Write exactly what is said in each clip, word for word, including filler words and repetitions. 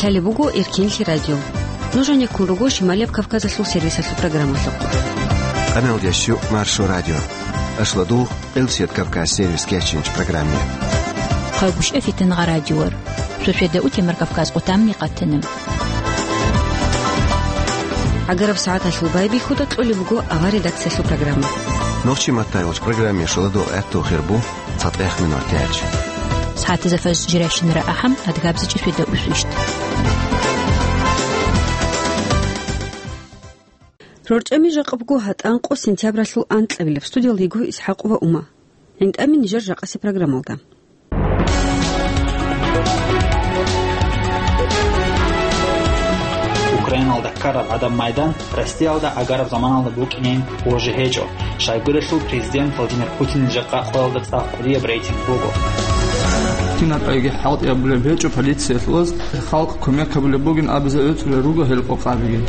Лъалеб буго Эркинлъи радио. Нуж гьанеккун руго Шималияб Кавказалъул сервисалъул программалъухъ. Къаналдящу Маршо радио. Ашладугъ Къилсият Кавказ сервис кечинч программе. Хъагушев Фитингъа радиор. Суседа утемар Кавказ къутамни къатана. Агараб сагӀаталъул байбихьуда кьолеб буго авар редакциялъул программа. Нохчи маттайгъуч программе шоладугъ гӀатту хирбу. ЦатӀех минутач. СагӀатазда фаз жиращинара ахӀам, адгабзичӀи светда усвищ. РорчӀами жакъа буго гьатӀанкъо сентябралъул анкьабилеб. Студиялда йиго ИсхӀакъова Ума. ГӀинтӀами нижер жакъаси программалда. Украиналда ккараб гӀадаб майдан Россиялда агараб заманалда букӀинин божи гьечӀо. Щайгурелъул президент Владимир Путинил жакъа къоялда цӀакъ кӀудияб рейтинг буго. Кинаб айги хӀалтӀи абулеб гьечӀо полициялъ оз, халкъ кумек гьабулеб бугин абизе гӀуцӀулел руго гьел къокъабиги.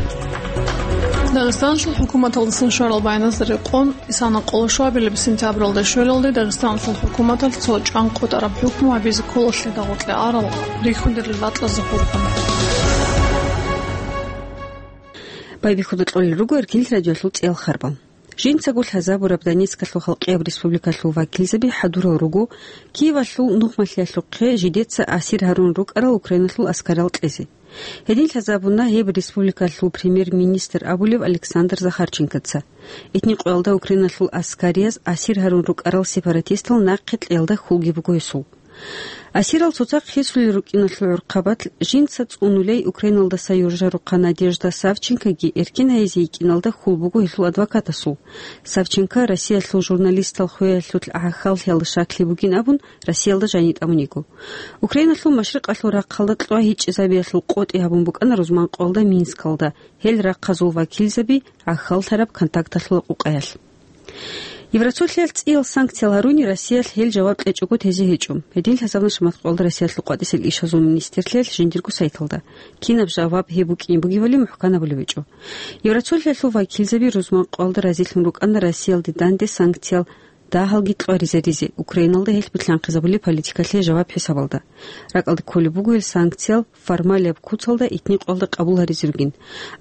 Дагъистаналъул хӀукуматалдасан щварал байназда рекъон, Исана къоло щуабилеб сентябралда щвелалде Дагъистаналъул хӀукуматалъ цо чӀван къотӀараб хӀукму гьабизе ккола лъеда гъоркье арал рихьунде ракьазда хурхун. Байбихьуда кьолел руго Эркинлъи радиоялъул цӀиял харбал. Жинцаго лъазабураб Донецкалъул халкъияб республикалъул вакилзаби хӀадурал руго Киевалъул нухмалъиялъухъе жидеца асир гьарун рукӀарал Украиналъул аскарал кьезе. Гьедин лъазабуна гьеб республикалъул премьер-министр абулев Александр Захарченкоца. Итни къоялда Украиналъул аскарияз асир гьарун рукӀарал сепаратистал нахъе кьеялда хьулги буго гьесул. Асирал цоцахъ хисулел рукӀиналъул гӀурхъабалъ жинца цӀунулей Украиналдаса юржа-рухъа Надежда Савченкоги эркин гьайизе йикӀиналда хьул буго гьелъул адвокатасул. Савченко Россиялъул журналистал хвеялъулъ гӀахьаллъиялда щаклъи бугин абун, Россиялда жаниб тӀамун йиго. Украиналъул машрикъалъул рахъалда кьва гьичӀчӀизабиялъул къотӀи гьабун букӀана рузман къоялда Минскалда, гьел рахъазул вакилзаби гӀахьаллъараб контакталъула къукъаялъ. Евросоюзалъ цӀиял санкциял гьаруни, Россиялъ гьел жаваб кьечӀого тезе гьечӀо. Гьедин лъазабуна шамат къоялда Россиялъул къватӀисел ишазул министрлъиялъ жиндирго сайталда. Кинаб жаваб гьеб букӀин бугебали мухӀкан гьабулеб гьечӀо. Евросоюзалъул вакилзаби рузман къоялда разилъун рукӀана Россиялде данде санкциял дагьалги кьваризаризе, Украиналда гьелъ билълъанхъизабулеб политикалъе жаваб хӀисабалда. РакӀалде кколеб буго гьел санкциял формалияб куцалда итни къоялда къабул гьаризе ругин.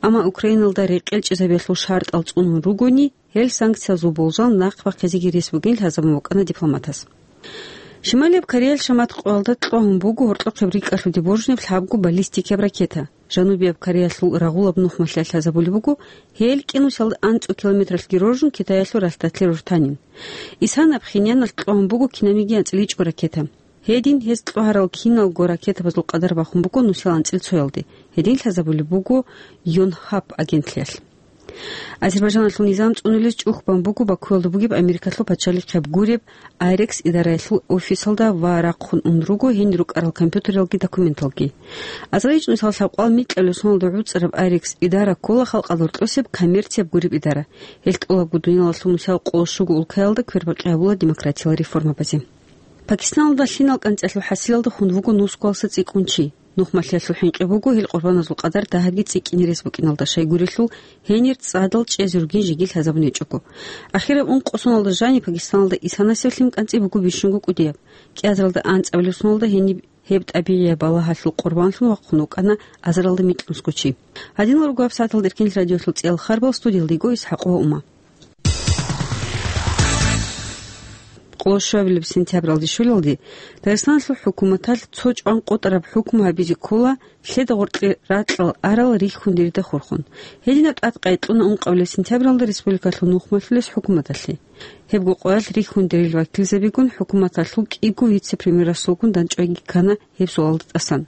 Амма Украиналда рекъелчӀизабиялъул шартӀал цӀунун ругони, гьел санкциязул болжал нахъ бахъизеги рес бугин лъазабун букӀана дипломатас. Шималияб Кореялъ шамат къоялда кьвагьун буго гьоркьохъеб рикӀкӀалъуде боржунеб лъабго баллистикияб ракета. Жанубияб Кореялъул рагъулаб нухмалъиялъ лъазабулеб буго, гьел кӀинусиялда анцӀго километралъги роржун Китаялъул ралъдалъе рортанин. Исана Пхеньяналъ кьвагьун буго кинабниги анцӀила ичӀго ракета. Гьедин гьез кьвагьарал киналго ракетабазул къадар бахун буго нусил анцӀила цоялде, гьедин лъазабулеб буго Йонхап агентлъиялъ. Азербайжаналъул низам цӀунулез чӀухь бан буго Бакуялда бугеб Америкалъул пачалихъ гьеб гуреб Айрекс идараялъул офисалда ва рахъун ун руго гьенир рукӀарал компьютералги документалги. Азарилъ нусал лъабкъоялда микьабилеб соналда гӀуцӀараб Айрекс идара ккола халкъалда гьоркьосеб коммерцияб гуреб идара. Гьел тӀолабго дуниялалъул нусал къоло щуго улкаялда квербакъи гьабула демократиял реформабазе. Пакистаналда лъимал кӀанцӀиялъул хӀасилалда хун вуго нусгоялса цӀикӀкӀун чи. Нухмалъиялъул хӀинкъи буго гьел къурбаназул къадар дагьабги цӀикӀкӀине рес букӀиналда, щайгурелъул гьенир цӀадал чӀезе ругин жеги лъазабун гьечӀого. Ахираб ункъо соналда жаниб Пакистаналда Исанасеб лъим кӀанцӀи буго бищунго кӀудияб. КӀиазаралда анцӀабилеб соналда гьениб гьеб тӀабигӀияб балагьалъул къурбанлъун вахъун вукӀана азаралда микьнусго чи. Гьадинал руго гьабсагӀаталда Эркин радиоялъул цӀиял харбал, студиялда йиго ИсхӀакъова Ума. Къоло щуабилеб сентябралде щвелалде Дагъистаналъул хӀукуматалъ цо чӀван къотӀараб хӀукму гьабизе ккола лъеда гъоркье ракьал арал рихьун дирида хурхун. Гьединаб тӀад къайкьуна ункъабилеб сентябралда республикалъул нухмалъулес хӀукуматалъе. Гьебго къоялъ рихьун дирил вакилзабигун хӀукуматалъул кӀиго вице-премьерасулгун дандчӀвайги ккана гьеб суалда тӀасан.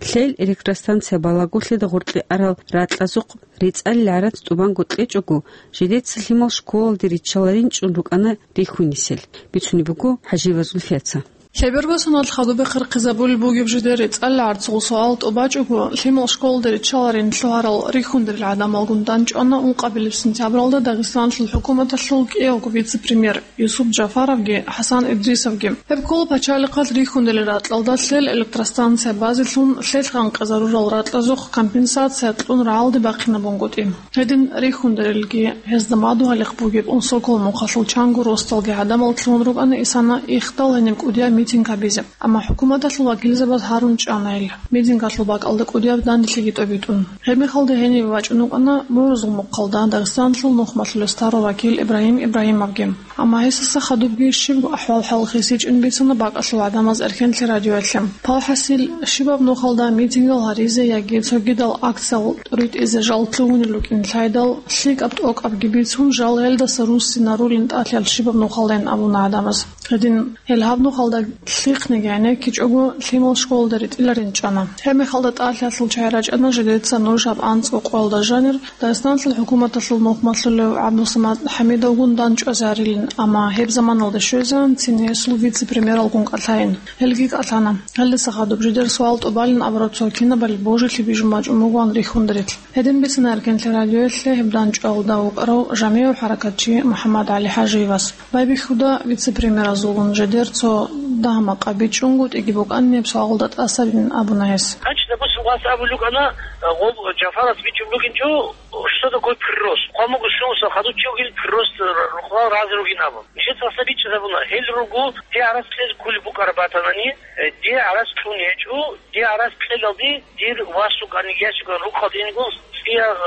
Лъел электростанция балагулъеда гъоркье арал ракьазухъ рецӀалил гӀарац тӀубанго кьечӀого, жидеца лъимал школалде риччаларин чӀун рукӀана рихьунисел, бицунеб буго ХӀажиева Зульфияца. Лъеберго соналъ хадуб бехъерхъизабулеб бугеб жидер рецӀалил гӀарцул суал тӀубачӀого, лъимал школалде риччаларин лъугьарал рихьун дирил гӀадамалгун дандчӀвана ункъабилеб сентябралда Дагъистаналъул хӀукуматалъул кӀиявго вице-премьер. Юсуп Джафаровги ХӀасан Идрисовги. Гьеб ккола пачалихъалъ рихьунел ракьалда лъел электростанция базелъун лъелъ гъанкъизарурал ракьазухъ компенсация кьун рагӀалде бахъинабунгутӀи. Гьедин рихьунелги гьезда мадугьалихъ бугеб унсокол мухъалъул чанго росдалги гӀадамал лъугьун рукӀана Исана ихдал гьениб кӀудияб митинг гьабизе. Амма хӀукуматалъул вакилзабаз гьарун чӀана ил, митингалъул бакӀалда кӀудияб данделъиги тӀобитӀун. Гьеб мехалда гьенибе бачӀун вукӀана Мурзулмухъалда Дагъистанлъул нухмалъулес тарав вакил Ибрагьим Ибрагьимовги. Амма гьесдаса хадубги щибго ахӀвал-хӀал хисичӀин бицана бакӀалъул гӀадамаз Эрхенлъи радиоялъе. Палхасил, щибаб нухалда митингал гьаризе яги цогидал акциял тӀуритӀизе жал лъугьунел рукӀин лъайдал, лъикӀаб-тӀокӀабги бицун, жал гьелдаса руссинарулин тӀалъал щибаб нухалдайин абуна гӀадамаз. Гьедин гьел гьаб нухалда лъихъниги гӀенеккичӀого лъимал школалда ритӀиларин чӀана. Гьеб мехалда тӀалъиялъул чагӀи рачӀана жидеца нуж гьаб анцӀго къоялда жанир Дагъистанлъул хӀукуматалъул нухмалъулев ГӀабдусамат ХӀамидовгун дандчӀвазе гьарилин, амма гьеб заманалда щвезегӀан цин гьесул вице-премьералгун кӀалъайин. Гьелги кӀалъана. Гьелдаса хадуб жидер суал тӀубалин абураб цо кинабали божилъи бижун бачӀун бугоан рихьундарилъ. Гьедин бицана Эркенлъи радиоялъе гьеб дандчӀвалда вукӀарав жамигӀав хӀаракатчи МухӀаммад ГӀали ХӀажиевас. Байбихьуда вице-премьеразулгун жидер цо дагь-макъа бичӀчӀунгутӀиги букӀанин гьеб суалда тӀасабин абуна гьес. Гьанчи, допустим, вас абулев вукӀана, э, гъоб Джафарас бичӀчӀун бугинчӀо, что такое прирост? Хъван буго щунусал хадув чи вугин прирост р-, рукъалал разе ругин абун. Нижеца гьасда бичӀчӀизабуна, гьел руго, дие гӀарац кьезе кколеб букӀараб батанани, э, дие гӀарац кьун гьечӀо, дие гӀарац кьелалде дир вас вукӀани ящикан рукъалде ингун цӀия, э,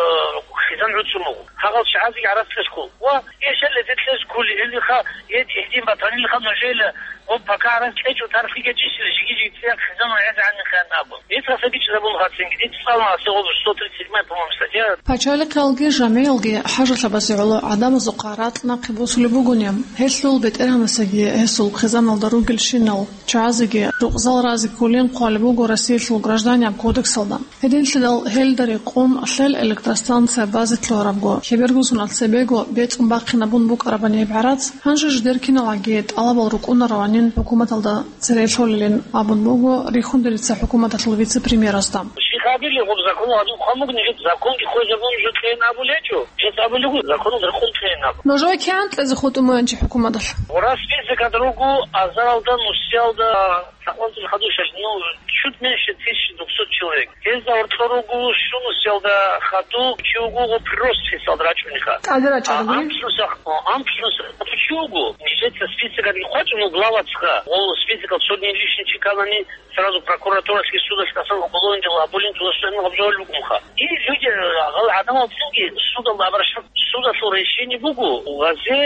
хизан гӀуцун буго. Гьагъал чагӀазеги гӀарац кьезе ккол. Ва гьел щай гьезе кьезе кколи, гьелиха, гьед гьедин батанилиха нужеила, гъоб пока гӀарац кьечӀо тархиги гьечӀищила жиги-жиги цӀия хизан гӀезегӀанихъан абун. Нижеца гьасда бичӀчӀизабуна гьацинги, дица цӀалун гьасда гъоб сто тридцать седьмая, по-моему, статья. Пачалихъалги жамигӀалги хӀажалъабазе гӀоло гӀадамазухъа ракь нахъе босулеб бугони, гьелъул бетӀергьанасеги гьесул хъизаналда ругелщинал чагӀазеги рукъзал разе кколин хъвалеб буго Россиялъул Гражданияб кодексалда. Гьединлъидал гьелда рекъон лъел электростанция базе лъугьарабго, лъеберго соналъ цебего бецӀун бахъинабун букӀарабани гьеб гӀарац, гьанже жидер киналгӀаги тӀалабал рукӀунараванин хӀукуматалда цере лъолилин абун буго рихьундарица хӀукуматалъул вице-премьерасда. Щихабили гъоб закон гьадин хъван буго, нижеца законги хвезабун жо кьейин абулей гьечӀо, жеца абулего законалда рекъон кьейин абу. Нужее кигӀан кьезе хутӀун бугин чи хӀукуматалъ? Гъурас списокалда руго азаралда, нусиялда, лъабкъоялда хадур шаш, ну, чуть меньше тысячи двухсот человек. Гьезда гьоркьор руго щунусиялда хадув чи вуго гъоб прирост списокалда рачӀунеха. ТӀаде рачӀараб. А амцӀнусиялда, амцӀнусиялда хадув чи вуго, нижеца списокалги хъвачӀун вуго главацха, гъол списокалда сотни лишний чи кканани, сразу прокуратуралъги судалъги тӀасан уголовный дела гьабулин, туда суд гьабулеб бугоха. И люди, э, гьал гӀадамал цинги судалда обращаться, судалъул решение буго, гъазе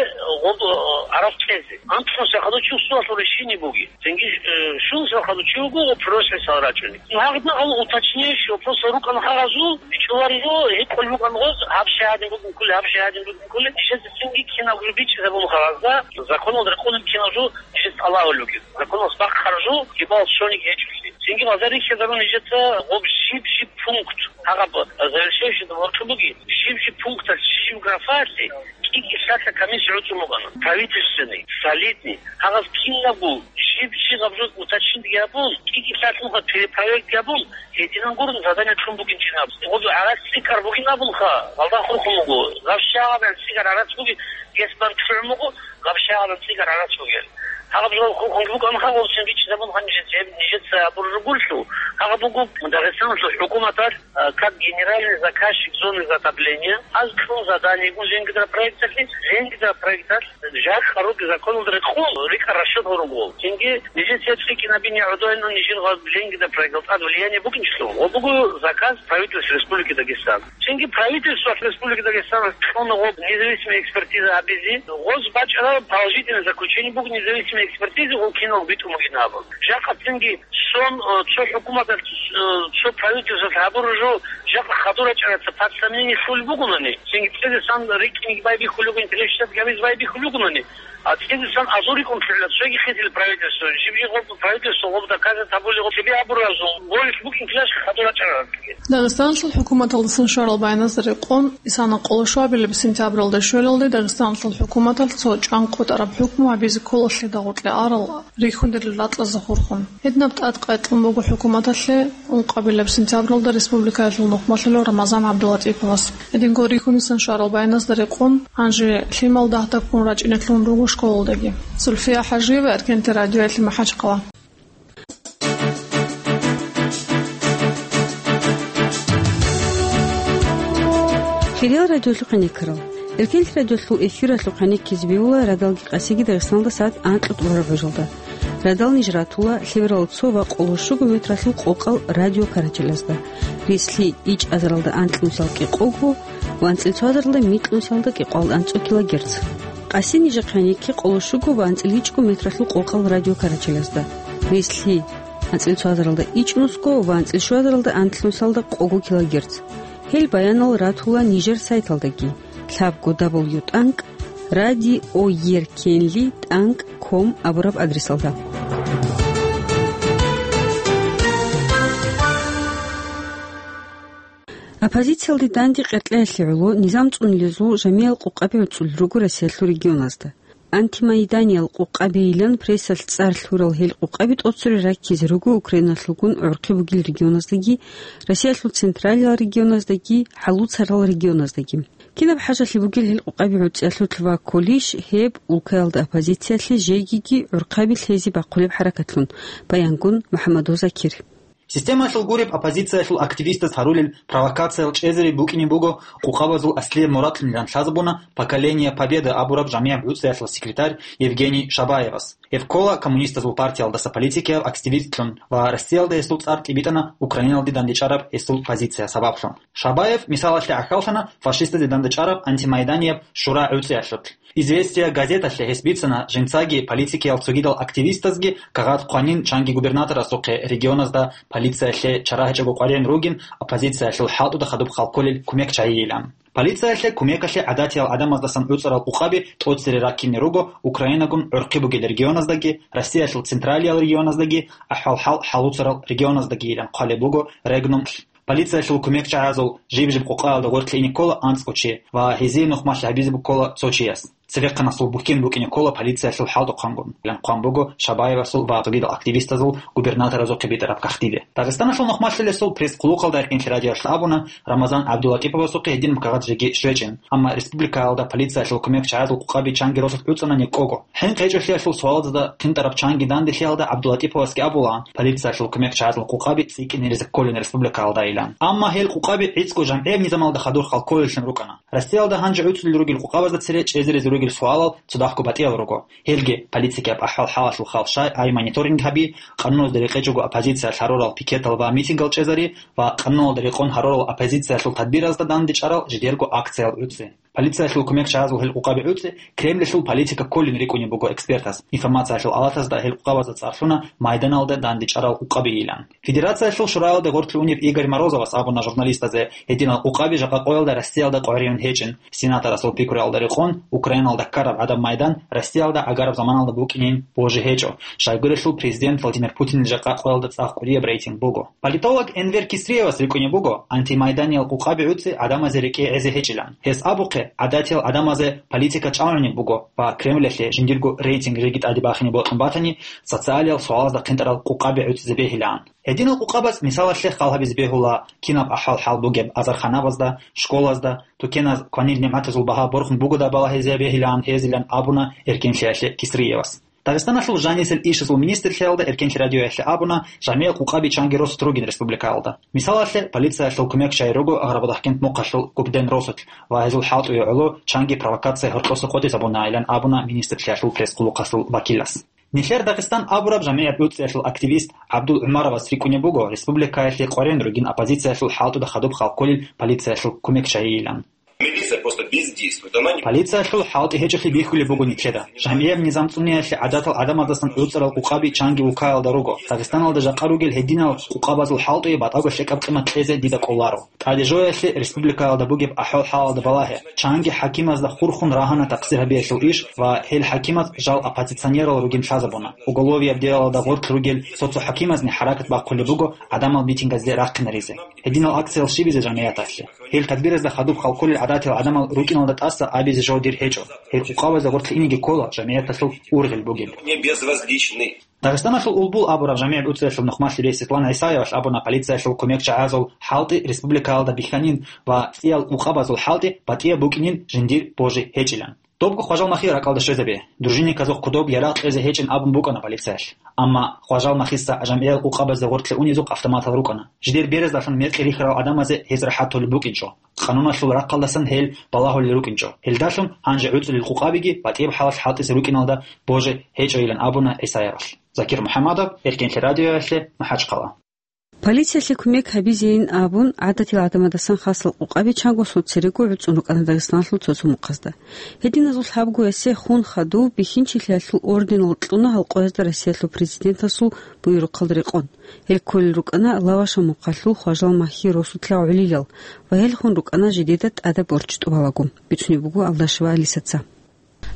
гъоб, э, гӀарац кьезе. АмтӀун сахадучи судалъул решение буги. Цинги, э, щун сахадучи вуго, прирост списокалда рачӀуни. Ну, гьагъна гьал уточняющий вопросал рукӀана гьагъазул, бичӀчӀуларизул, гьикъулеб букӀана гъоз, гьаб щай гьадин бугин кколи, гьаб щай гьадин бугин кколи, нижеца цинги кинабго бичӀчӀизабун гьагъазда, законалда рекъон кинабго нижеца тӀалаб гьабулеб бугин. Законалъ бахъараб жо, кибал цониги гьечӀолъи. Цинги базар рихьизарун нижеца гъоб жиб-жиб пункт, гьагъаб завершающий гьоркьоб буги, жиб-жиб пункталъ, жиб-жиб графаялъе кӀиги лъалъа комиссия гӀуцӀун букӀана. Правительственный, солидный, гьагъаз кинабго жиб-жиб гьаб жо уточнить гьабун, кӀиги лъалъ нуха перепроверка гьабун, гьединан гурун задание кьун бугин чинаб. Гъоб гӀарац цӀикӀкӀар бугин абунха, гьалда хурхун буго. Гьаб щай гьадин цӀикӀкӀар гӀарац буги, гьес бан чӀун буго, гьаб щай гьадин цӀикӀкӀар гӀарац бугел. Гьаб жо хурхун букӀан гьаб цин бичӀчӀизабун гьанже нижеца гьабураб ругелъул. Гьаб буго Дагъистаналъул хӀукуматалъ, э, как генеральный заказчик зоны затопления, аз кьун заданиего Ленингидропроекталъе, Ленингидропроекталъ жакъа руги законалда рекъон, рикӀкӀад расчет гьорун гъол. Цинги нижеца цӀикӀкӀинабин гӀодойилан нижер гъаб Ленингидропроекталда тӀад влияние букӀинчӀелъул. Ва буго заказ правительства Республики Дагестан. Цинги правительство Республики Дагестан кьуна гъоб независимый экспертиза гьабизе. Гъоз бачӀараб положительный заключение буго независимый экспертиза, гъол кинал битӀун бугин абун. Жакъа цинги сон, э, цо хӀукуматалъ, э, цо правительствалъ гьабураб жо жакъа хадур рачӀараца под сомнение лъулеб бугони, цинги цӀидасан рикӀкӀинги байбихьулеб бугин, телещат гьабизе байбихьулеб бугони, а цӀидасан азул рикӀкӀун лъугӀила цоги хисил правительство, жиб-жиб гъоб правительство гъоб доказать гьабулеб гъоб цебе гьабураб жо, гъолилъ букӀин килаш хадур рачӀарараб. Дагъистаналъул хӀукуматалдасан щварал баяназда рекъон, исана къоло швабилеб сентябралда щвелалде Дагъистаналъул хӀукуматалъ цо чӀван къотӀараб хӀукму гьабизе ккола лъида гъоркье арал рихьундарил ракьазда хурхун. Гьединаб тӀад къайкъун буго хӀукуматалъе ункъабилеб сентябралда республикаялъул нухмалъулев Рамазан ГӀабдулатӀиповас. Гьединго рихьунисан щварал баяназда рекъон, гьанже лъимал дагьдаб ккун рачӀине лъугьун руго школалдаги. Зульфия ХӀажиева, Эркенлъи радиоялъе, МахӀачхъала. Хириял радиолъухъ гӀенеккарал. Эркенлъи радиолъул эфиралъухъ гӀенеккизе бегьула радалги къасиги Дагъистаналда сагӀат анкьа тӀурараб гӀужалда. Радал ниж ратула лъеберал цо ва къоло щуго метралъул къокъал радио карачелазда. Рислъи ичӀазаралда анкьнусал кӀикъого ва анцӀил цоазаралда микьнусалда кӀикъоялда анцӀго килогерц. Къаси нижехъе гьанекке къоло щуго ва анцӀил ичӀго метралъул къокъал радио карачелазда. Рислъи анцӀил цоазаралда ичӀнусго ва анцӀил щуазаралда анкьнусалда къого килогерц. Гьел баянал ратула нижер сайталдаги, лъабго дабл ю тӀанкӀ радиоеркенли тӀанкӀ ком абураб адресалда. Оппозициялде данде къеркьеялъе гӀоло низам цӀунилезул жамигӀал къукъаби гӀуцӀулел руго Россиялъул регионазда. Антимайданиял къукъабийилан прессалъ цӀар лъурал гьел къукъаби тӀоцере раккизе руго Украиналъулгун гӀорхъи бугел регионаздаги, Россиялъул централиял регионаздаги, хӀалуцарал регионаздаги. Кинаб хӀажалъи бугел гьел къукъаби гӀуцӀиялъулъ ва кколищ гьеб улкаялда оппозициялъе жегиги гӀурхъаби лъезе бахъулеб хӀаракатлъун, баянгун МухӀаммадов Закир. Системалъул гуреб оппозициялъул активистаз гьарулел провокациял чӀезари букӀине буго къукъабазул аслияб мурадлъунилан лъазабуна «Поколение Победы» абураб жамигӀаб гӀуцӀиялъул секретарь Евгений Шабаевас. Гьев ккола коммунистазул партиялдаса политикияв активистлъун ва Россиялда гьесул цӀар тӀибитӀана Украиналде дандечӀараб гьесул позиция сабаблъун. Шабаев мисалалъе гӀахьаллъана фашистазе дандечӀараб антимайданияб «Шура» гӀуцӀиялъулъ. «Известия» газеталъе гьес бицана жинцаги политикиял цогидал активистазги кагъат хъванин чанги губернаторасухъе регионазда полициялъе чара гьечӀого къваригӀун ругин оппозициялъул хӀалтӀуда хадуб халкколел кумек чагьийилан. Полициялъе кумекалъе гӀадатиял гӀадамаздасан гӀуцӀарал къукъаби тӀоцере раккине руго Украинагун гӀурхъи бугел регионаздаги, Россиялъул централиял регионаздаги, ахӀвал-хӀал хӀалуцарал регионаздагийилан хъвалеб буго Регнум. Полициялъул кумекчагӀазул жиб-жиб къукъаялда гъоркье ине ккола анцӀго чи ва гьезие нухмалъи гьабизе буккола цо чияс. Цевехъанасул бухьен букӀине ккола полициялъул хӀалтӀухъангун, илан хъван буго Шабаевасул ва цогидал активистазул губернаторазухъе битӀараб кагътиде. Дагъистаналъул нухмалъилесул пресс-хъулухъалда эркенлъи радиоялъ абуна, Рамазан ГӀабдуллатӀиповасухъе гьединаб кагъат жеги щвечӀин, амма республикаялда полициялъул кумекчагӀазул къукъаби чанги росулъ гӀуцӀана некӀого. ХӀинкъи гьечӀолъиялъул суалазда хъинтӀараб чанги данделъиялда ГӀабдулатӀиповасги абулаан, полициялъул кумекчагӀазул къукъаби цӀикӀкӀине риза кколин республикаялда илан. Амма гьел къукъаби гӀицӀго жамгӀияб низамалда хадур халкколеллъун рукӀана. Россиялда гьанже гӀуцӀулел ругел къукъабазда цере чӀезаризе ругел суалал цо дагьго батӀиял руго. Гьелги политикияб ахӀвал-хӀалалъул хал-шай гӀай мониторинг гьаби, къануналда рекъечӀого оппозициялъ гьарурал пикетал ва митингал чӀезари ва къануналда рекъон гьарурал оппозициялъул тадбиразда дандечӀарал жидерго акциял гӀуцӀи. Полициялъул кумекчагӀазул гьел къукъаби гӀуцӀи Кремльалъул политика кколин рикӀкӀунеб буго экспертаз. Информациялъул алатазда гьел къукъабазда цӀар лъуна майданалда дандечӀарал къукъабийилан. Федерациялъул шураялда гъорлъ унев Игорь Морозовас абуна журналистазе, гьединал къукъаби жакъа къоялда Россиялда къваригӀун гьечӀин. Сенаторасул пикруялда рекъон, Украиналда ккараб гӀадаб майдан Россиялда гӀагараб заманалда букӀинин божи гьечӀо, щайгурелъул президент Владимир Путинил жакъа къоялда цӀакъ кӀудияб рейтинг буго. Политолог Энвер Кисриевас рикӀкӀунеб буго антимайданиял къукъаби гӀуцӀи гӀадамазе рекӀее гӀезе гьечӀилан. Гьес абухъе, гӀадатиял гӀадамазе политика чӀалгӀунеб буго ва Кремльалъе жиндирго рейтинг жеги тӀаде бахине бокьун батани, социалиял суалазда хъинтӀарал къукъаби гӀуцӀизе бегьилаан. Гьединал къукъабаз мисалалъе хал гьабизе бегьула кинаб ахӀвал-хӀал бугеб азарханабазда, школазда, тукеназ кванил нигӀматазул багьа борхун бугода балагьизе бегьилаан гьезилан абуна эркенлъиялъе Кисриевас. Дагъистаналъул жанисел ишазул министрлъиялда эркенлъи радиоялъе абуна, жамигӀ къукъаби чанги росулъ ругин республикаялда. Мисалалъе, полициялъул кумекчагӀи руго Агърабадахъкент мухъалъул Губден росулъ ва гьезул хӀалтӀуе гӀоло чанги провокация гьоркьоса къотӀизабунаилан абуна министрлъиялъул пресс-хъулухъалъул вакилас. Нилъер Дагъистан абураб жамигӀат гӀуцӀиялъул активист ГӀабдул ГӀумаровас рикӀкӀунеб буго республикаялъе къваригӀун ругин оппозициялъул хӀалтӀуда хадуб халкколел полициялъул кумекчагӀийилан. Милиция просто бездействует. Она не Полициялъул хӀалтӀи гьечӀолъи бихьулеб буго нилъеда. ЖамигӀаб низам цӀуниялъе гӀадатал гӀадамаздасан гӀуцӀарал къукъаби чанги улкаялда руго. Дагъистаналда жакъа ругел гьединал къукъабазул хӀалтӀуе батӀаго лъикӀаб къимат кьезе дида кӀоларо. ТӀаде жоялъе республикаялда бугеб ахӀвал-хӀалалда балагье. Чанги хӀакимазда хурхун рагьана такъсир гьабиялъул иш ва гьел хӀакимаз жал оппозиционерал ругин лъазабуна. Уголовияб делалда гъоркь ругел цо-цо хӀакимазни хӀаракат бахъулеб буго гӀадамал митингазде рахъинаризе. Гьединал акциял щибизе жамигӀяталъе? Гьел тадбиразда хадуб халкколел гӀадатиял гӀадамал рукӀиналда тӀаса абизе жо дир гьечӀо. Гьел къукъабазда гъоркье инеги ккола жамигӀяталъул ургъел бугеб. Не безразличны. Дагъистаналъул Улбул абураб жамигӀ гӀуцӀиялъул нухмалъи рес Светлана ГӀисаевалъ абуна полициялъул кумекчагӀазул хӀалтӀи республикаялда бихьанин ва цӀиял къукъабазул хӀалтӀи батӀияб букӀинин жиндир божи гьечӀилан. Добго Хважал Махи ракӀалда щвезабе. Дружинниказухъ кодоб ярагъ кьезе гьечӀин абун букӀана полициялъ. Амма Хважал Махица жамгӀиял къукъабазда гъоркье унезухъ автоматал рукӀана. Жидер беразалъун мекъи рихьарал гӀадамазе гьез рахӀат толеб букӀинчӀо. Къануналъул рахъалдасан гьел балагьулел рукӀинчӀо. Гьелдалъун гьанже гӀуцӀулел къукъабиги батӀияб хӀалалъ хӀалтӀизе рукӀиналда боже гьечӀойилан абуна ГӀисаябал. Закир МухӀаммадов, Эркенлъи радиоялъе, МахӀачхъала. Полициялъе кумек гьабизейин абун, гӀадатил гӀадамадасан хасал къукъаби чанго церего гӀуцӀун рукӀана Дагъистаналъул цо-цо мухъазда. Гьединазул лъабгоясе хун хадув бихьинчилъиялъул орденал кьуна гьал къоязда Россиялъул президентасул буюрухъалда рекъон. Гьел кколел рукӀана Лаваша мухъалъул Хважал Махьи росулъа гӀолилал ва гьел хун рукӀана жидеда тӀадаб борчӀ тӀубалаго, бицунеб буго Алдашева Алисаца.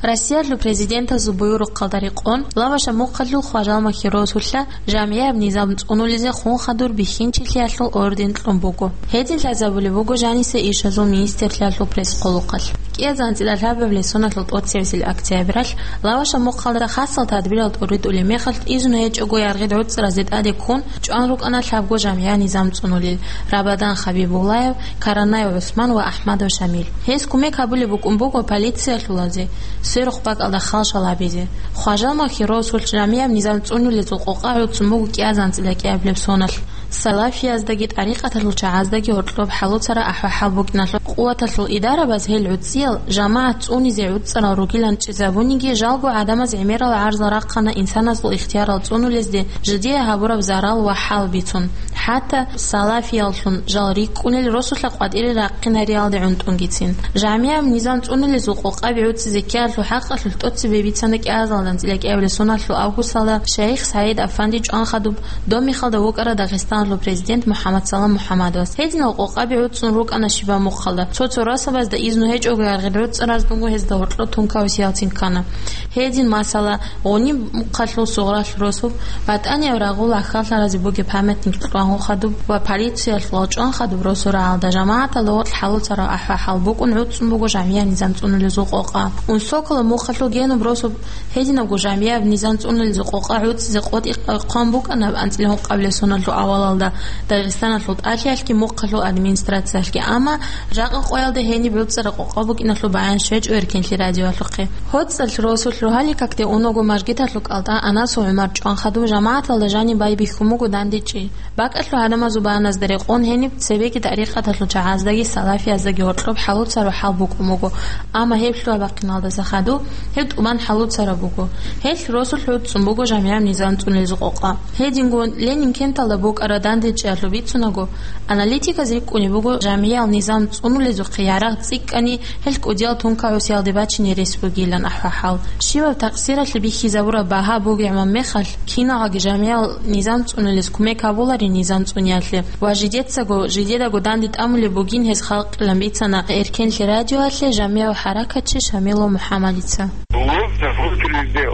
Россиялъул президентасул буюрухъалда рекъон, Лаваша мухъалъул Хважал Махьи росулъа жамгӀияб низам цӀунулезе хун хадур бихьинчилъиялъул орден кьун буго. Гьедин лъазабулеб буго жаниса ишазул министрлъиялъул пресс-къолохъалъ. КӀиазанцӀила лъабабилеб соналъул тӀоцебесеб октябралъ Лаваша мухъалда хасал тадбирал тӀуритӀулеб мехалъ, изну гьечӀого яргъид гӀуцӀразде тӀаде ккун, чӀван рукӀана лъабго жамгӀиял низам цӀунулел: Рабадан Хабибуллаев, Каранаев ГӀусман ва Ахмадов Шамил. Гьез кумек гьабулеб букӀун буго полициялъулазе сверухъ бакӀалда халшал гьабизе. Хважал Махьи росулъ жамгӀияб низам цӀунулезул къокъа гӀуцӀун буго кӀиазанцӀила кӀиабилеб соналъ. Салафияздаги тӀарикъаталъул чагӀаздаги гьоркьоб хӀалуцараб ахӀвал-хӀал букӀиналъул къуваталъул идарабаз гьел гӀуцӀиял жамагӀат цӀунизе гӀуцӀарал ругилан чӀезабуниги, жалго гӀадамаз гӀемерал гӀарзал рахъана инсаназул ихтиярал цӀунулезде жидее гьабураб зарал ва хӀал бицун. ХӀатта салафияллъун жал рикӀкӀунел росулъа къватӀире рахъинариялде гӀунтӀунгицин. ЖамгӀияб низам цӀунулезул къокъаби гӀуцӀизе ккеялъул хӀакъалъулъ тӀоцебе бицана кӀиазалдан цӀила кӀиабилеб соналъул августалда шайих СагӀид Афанди чӀван хадуб Домихалда вукӀарав Дагъистаналъул президент МухӀаммадсалам МухӀаммадовас. Гьединал къокъаби гӀуцӀун рукӀана щибаб мухъалда. Цо-цо расабазда изну гьечӀого яргъи гӀуцӀараз буго гьезда гьоркьоб тункаусиялцин ккана. Гьедин, масала, Гъуниб мухъалъул Сугъралъ росуб, батӀанияб рагъул ахьаллъаразе бугеб памятник кьван хадуб ва полициялъул чӀван хадуб росу рагӀалда жамагӀаталда гъоркь хӀалуцараб ахӀвал-хӀал букӀун гӀуцӀун буго жамгӀияб низам цӀунулезул къокъа. Унсокола мухъалъул Генуб росуб гьединабго жамгӀияб низам цӀунулезул къокъа гӀуцӀизе къотӀи хъван букӀана анцӀила гьукъабилеб соналъул авалалда Дагъистаналъул тӀалъиялъги мухъалъул администрациялъги, амма жакъа къоялда гьениб гӀуцӀараб къокъа букӀиналъул баян щвечӀо Эркенлъи радиоялъухъе. ГьоцӀалъ росулъ рогьалил какде унаго мажгиталъул кӀалтӀа Анасов ГӀумар чӀван хадуб жамагӀаталда жаниб байбихьун буго дандечӀей. БакӀалъул гӀадамазул баяназда рекъон гьениб цебеги тӀарикъаталъул чагӀаздаги салафияздаги гьоркьоб хӀалуцараб хӀал букӀун буго, амма гьеб лъугьа-бахъиналдаса хадуб гьеб тӀубан хӀалуцараб буго. Гьелъ росулъ гӀуцӀун буго жамгӀияб низам цӀунулезул къокъа. Гьединго Ленинкенталда букӀараб дандечӀеялъул бицунаго, аналитиказ рикӀкӀунеб буго жамгӀиял низам цӀунулезухъе ярагъ цӀикӀкӀани, гьел кӀудиял тункагӀусиялде бачине рес бугилан ахӀвал-хӀал. Щибаб такъсиралъе бихьизабураб багьа бугеб мехалъ, киналги жамгӀиял низам цӀунулез кумек гьабуларин низам цӀуниялъе ва жидецаго, жидедаго данде тӀамулеб бугин гьез халкъилан бицана Эркенлъи радиоялъе жамгӀияв хӀаракатчи Шамилов МухӀаммадица. Ловца русский лидер,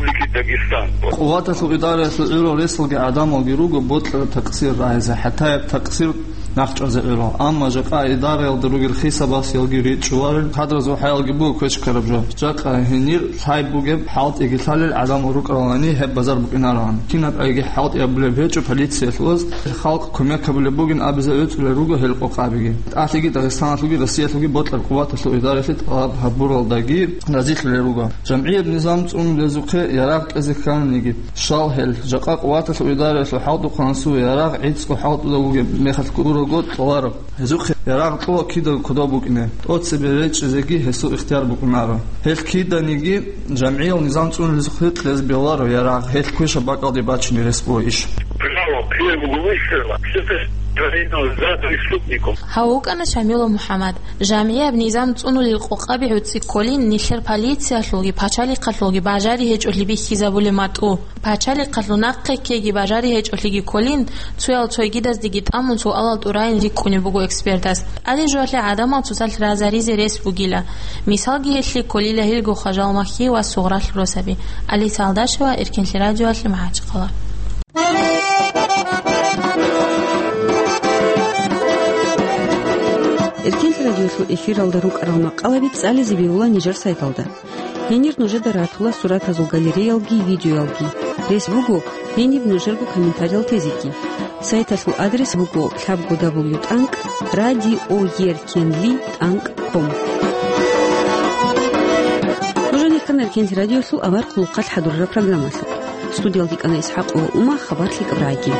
Республики Дагестан. Къуваталъул идараялъул гӀурал ресалги гӀадамалги руго бокьараб такъсир рагӀизе, хӀатаяб такъсир нахъчӀвазе гӀурал. Амма жакъа идараялда ругел хисабасиялги ричӀчӀуларел, кадразул хӀаялги буго квечкараб жо. Жакъа гьенир лъай бугеб хӀалтӀиги лъалел гӀадамал рукӀаралани гьеб базар букӀинароан. Кинаб гӀайги хӀалтӀи абулеб гьечӀо полициялъулаз, халкъ кумек гьабулеб бугин абизе гӀуцӀулел руго гьел къокъабиги. ТӀалъиги Дагъистаналъулги Россиялъулги бокьараб къуваталъул идараялъе тӀалаб гьабуралдаги разилъулел руго. ЖамгӀияб низам цӀунулезухъе ярагъ кьезе кканиги, щал гьел, жакъа къуваталъул идараялъул хӀалтӀухъан цо ярагъ гӀицӀго хӀалтӀуда вугеб мехалъ гурого кьоларо. Гьезухъе ярагъ кьола кидаго кодоб букӀине, тӀоцебе речӀчӀизеги гьесул ихтияр букӀунаро. Гьел киданиги жамгӀиял низам цӀунулезухъе кьезе бегьуларо ярагъ, гьел квешаб бакӀалде бачине рес буго иш. Право первого выстрела, всё это творено за преступником. Гьав вукӀана Шамилов МухӀаммад. ЖамгӀияб низам цӀунулел къокъаби гӀуцӀи кколин нилъер полициялъулги пачалихъалъулги бажари гьечӀолъи бихьизабулеб матӀу. Пачалихъалъул нахъе ккеги бажари гьечӀолъиги кколин, цоял цогидаздеги тӀамун суалал тӀурайин рикӀкӀунеб буго экспертас. ТӀаде жоялъе гӀадамал цоцалъ разаризе рес бугила. Мисалги гьелъие кколила гьелго Хважал Махьи ва Сугъралъ росаби. Алиса Алдашева, Эркенлъи радиоялъе, МахӀачхъала. Эркенлъи радиоялъул эфиралда рукӀарал макъалаби цӀализе бегьула нижер сайталда. Гьенир нужеда ратула суратазул галереялги видеоялги. Рес буго гьениб нужерго комментариял тезеги. Сайталъул адрес буго лъабго дабл ю тӀанкӀ радиоеркенли тӀанкӀ ком. Ккана Эркенлъи радиолъул авар хъулухъалъ хӀадурараб программалъухъ. Студиялда йикӀана ИсхӀакъ ва Ума, хабар лъикӀаб рагӀиги.